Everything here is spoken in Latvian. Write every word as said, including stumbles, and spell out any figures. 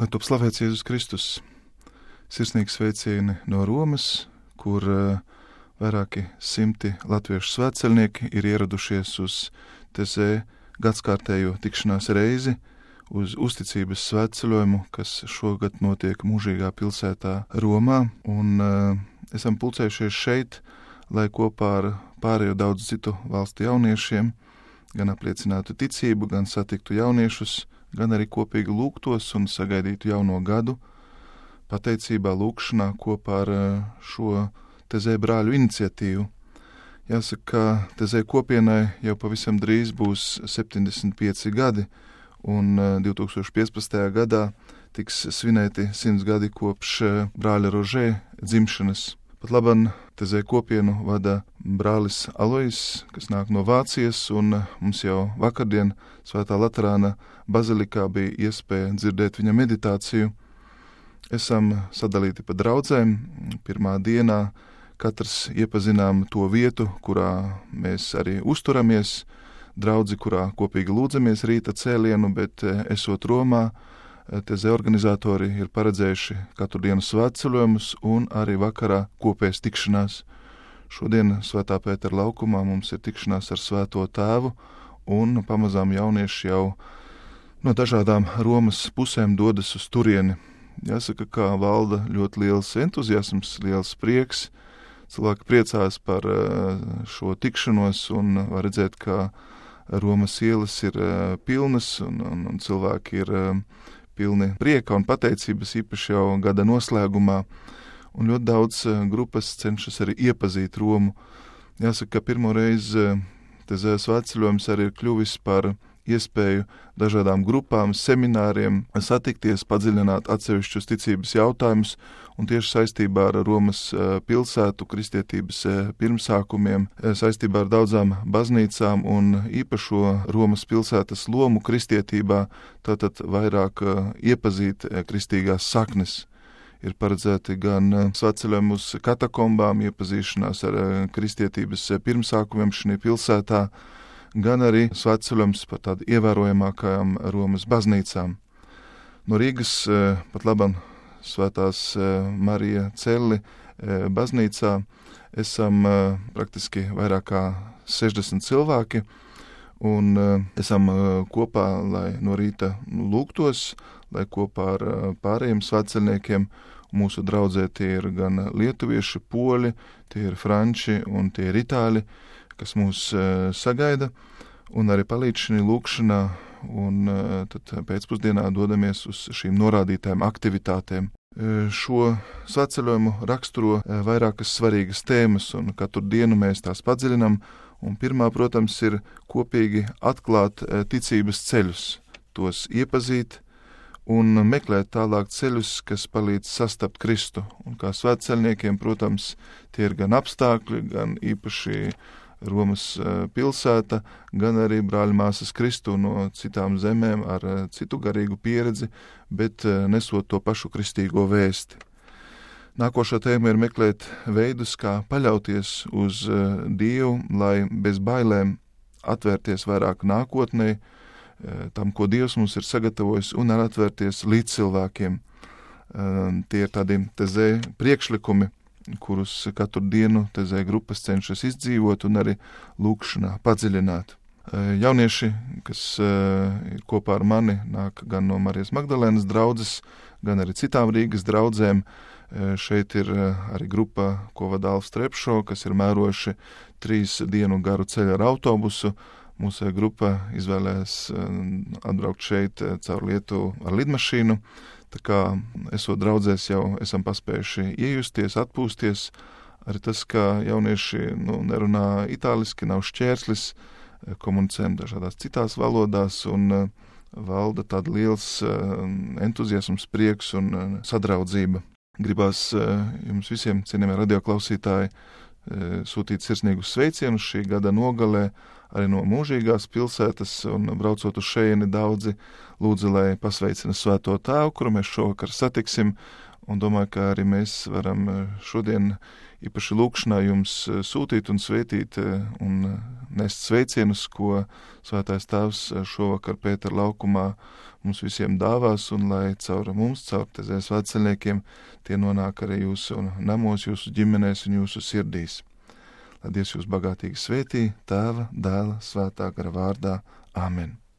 Lai top slavēts Jēzus Kristus, sirsnīgi sveicieni no Romas, kur uh, vairāki simti latviešu svētceļnieki ir ieradušies uz Tezē gadskārtējo tikšanās reizi, uz uzticības svētceļojumu, kas šogad notiek mūžīgā pilsētā Romā, un uh, esam pulcējušies šeit, lai kopā ar pārējo daudz citu valstu jauniešiem gan apliecinātu ticību, gan satiktu jauniešus, gan arī kopīgi lūgtos un sagaidītu jauno gadu, pateicībā lūgšanā kopā ar šo Tezē brāļu iniciatīvu. Jāsaka, ka Tezē kopienai jau pavisam drīz būs septiņdesmit pieci gadi, un divi tūkstoši piecpadsmitajā gadā tiks svinēti simts gadi kopš brāļa Rožē dzimšanas. Pat labam Tezē kopienu vada brālis Alois, kas nāk no Vācijas, un mums jau vakardien Svētā Laterāna bazilikā bija iespēja dzirdēt viņa meditāciju. Esam sadalīti pa draudzēm. Pirmā dienā katrs iepazinām to vietu, kurā mēs arī uzturamies, draudzi, kurā kopīgi lūdzamies rīta cēlienu, bet esot Romā, Tezē organizatori ir paredzējuši katru dienu svētceļojumus un arī vakarā kopējas tikšanās. Šodien Svētā Pētera laukumā mums ir tikšanās ar Svēto Tēvu, un pamazām jaunieši jau no dažādām Romas pusēm dodas uz turieni. Jāsaka, ka valda ļoti liels entuziasms, liels prieks. Cilvēki priecās par šo tikšanos un var redzēt, ka Romas ielas ir pilnas un, un, un cilvēki ir pilni prieka un pateicības, īpaši jau gada noslēgumā, un ļoti daudz grupas cenšas arī iepazīt Romu. Jāsaka, ka pirmo reizi Tezē svētceļojums arī ir kļuvis par iespēju dažādām grupām, semināriem satikties, padziļināt atsevišķus ticības jautājumus, un tieši saistībā ar Romas pilsētu, kristietības pirmsākumiem, saistībā ar daudzām baznīcām un īpašo Romas pilsētas lomu kristietībā, tātad vairāk iepazīt kristīgās saknes. Ir paredzēti gan svētceļojumi uz katakombām, iepazīšanās ar kristietības pirmsākumiem šajā pilsētā, gan arī svētceļojums par tādu ievērojamākajām Romas baznīcām. No Rīgas pat labam Svētās Marija Celli baznīcā esam praktiski vairāk kā sešdesmit cilvēki, un esam kopā, lai no rīta lūgtos, lai kopā ar pārējiem svētceļniekiem. Mūsu draudzē tie ir gan lietuvieši, poļi, tie ir franči un tie ir itāļi, kas mūs sagaida, un arī palīdz šī lūkšanā, un tad pēcpusdienā dodamies uz šīm norādītām aktivitātēm. Šo svētceļojumu raksturo vairākas svarīgas tēmas, un katru dienu mēs tās padziļinam, un pirmā, protams, ir kopīgi atklāt ticības ceļus, tos iepazīt un meklēt tālāk ceļus, kas palīdz sastapt Kristu. Un kā svētceļniekiem, protams, tie ir gan apstākļi, gan īpaši Romas pilsēta, gan arī brāļu māsas Kristu no citām zemēm ar citu garīgu pieredzi, bet nesot to pašu kristīgo vēsti. Nākošā tēma ir meklēt veidus, kā paļauties uz Dievu, lai bez bailēm atvērties vairāk nākotnē, tam, ko Dievs mums ir sagatavojis, un arī atvērties līdz cilvēkiem. Tie ir tādi Tezē priekšlikumi, kurus katru dienu Tezē grupas cenšas izdzīvot un arī lūkšanā padziļināt. Jaunieši, kas ir kopā ar mani, nāk gan no Marijas Magdalēnas draudzes, gan arī citām Rīgas draudzēm. Šeit ir arī grupa, ko vada Alfs Trepšo, kas ir mērojuši trīs dienu garu ceļu ar autobusu. Mūsu grupa izvēlējās atbraukt šeit caur Lietuvu ar lidmašīnu. Tā kā esot draudzēs jau esam paspējuši iejusties, atpūsties. Arī tas, ka jaunieši nu, nerunā itāliski, nav šķērslis, komunicējam dažādās citās valodās un valda tāda liels entuziasms, prieks un sadraudzība. Gribās jums visiem, cienījamie radioklausītāji, sūtīt sirsnīgus sveicienus šī gada nogalē, arī no mūžīgās pilsētas, un braucot uz šejieni daudzi lūdzu, lai pasveicina Svēto Tēvu, kuru mēs šovakar satiksim, un domāju, ka arī mēs varam šodien īpaši lūkšanā jums sūtīt un svētīt un nest sveicienus, ko Svētais Tēvs šovakar Pētera laukumā mums visiem dāvās, un lai caur mums, caur Tezē svētceļniekiem, tie nonāk arī jūsu namos, jūsu ģimenēs un jūsu sirdīs. Lai Dievs jūs bagātīgi svētī, Tēva, Dēla, Svētā gara vārdā. Āmen.